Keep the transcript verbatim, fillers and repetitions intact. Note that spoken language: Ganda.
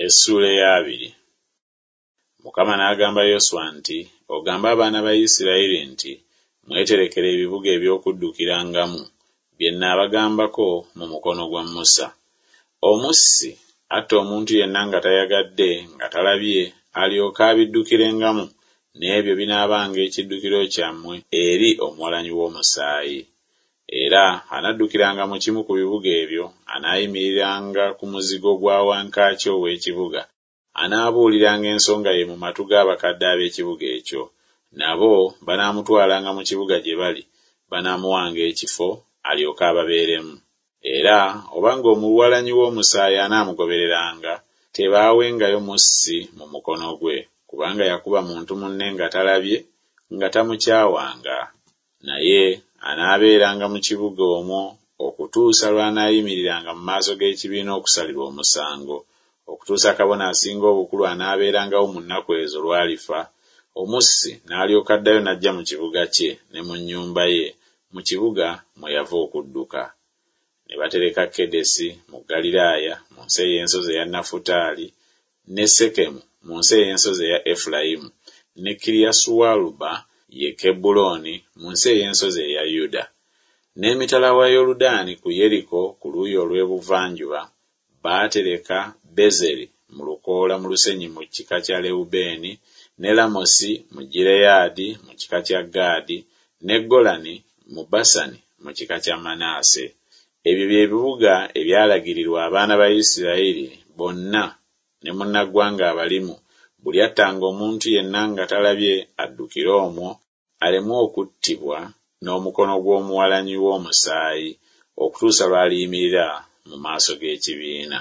Essuula ey'abiri. Mukama n'agamba Yoswa nti, Ogambe abaana ba Isirayiri nti, Mweterekere ebibuga eby'okuddukirangamu, bye nnaabagambako mu mukono gwa Musa. Omussi atta omuntu yenna nga tayagadde, nga talabye, alyoke abiddukirengamu, n'ebyo binaabanga ekiddukiro kyammwe eri omuwalanyi w'omusaayi. Era anaddukiranga mu kimu ku bibuga ebyo, anaayimiriranga ku muzigo gwa wankaaki ow'ekibuga, anaabuuliranga ensonga ye mu matu g'abakadde ab'ekibuga ekyo, nabo banaamutwalanga mu kibuga gye bali, banaamuwanga ekifo, alyoke ababeeremu. Era obanga omuwalanyi w'omusaayi anaamugobereranga, tebaawengayo mussi mu mukono gwe, kubanga yakuba muntu munne nga talabye, nga tamukyawanga. Naye anaabeeranga mu kibuga omwo okutuusa lw'anaayimiriranga mu maaso g'ekibiina okusalirwa omusango, okutuusa kabona asinga obukulu anaabeerangawo mu nnaku ezo lw'alifa, omussi n'alyoka addayo n'ajja mu kibuga kye ne mu nnyumba ye, mu kibuga mwe yava okudduka. Ne batereka Kedesi mu Ggaliraaya mu nsi ey'ensozi eya Nafutaali, ne Sekemu mu nsi ey'ensozi eya Efulayimu, ne Kiriasualuba, ye Kebbulooni, mu nsi ey'ensozi eya Yuda. N'emitala wa Yoludaani ku Yeriko ku luuyi olw'ebuvanjuba baatereka Bezeri mu lukoola mu lusenyi mu kika kya Lewubeeni, ne Lamosi mu Gireyaadi mu kika kya Gaadi, ne Golani mu Basani mu kika kya Manase. Ebyo bye bibuga ebyalagirirwa abaana ba Isirayiri bonna ne munnaggwanga abalimu, buli attanga omuntu yenna nga talabye addukire omwo, aleme okuttibwa n'omukono gw'omuwalanyi w'omusaayi, okutuusa lw'aliyimirira mu maaso g'ekibiina.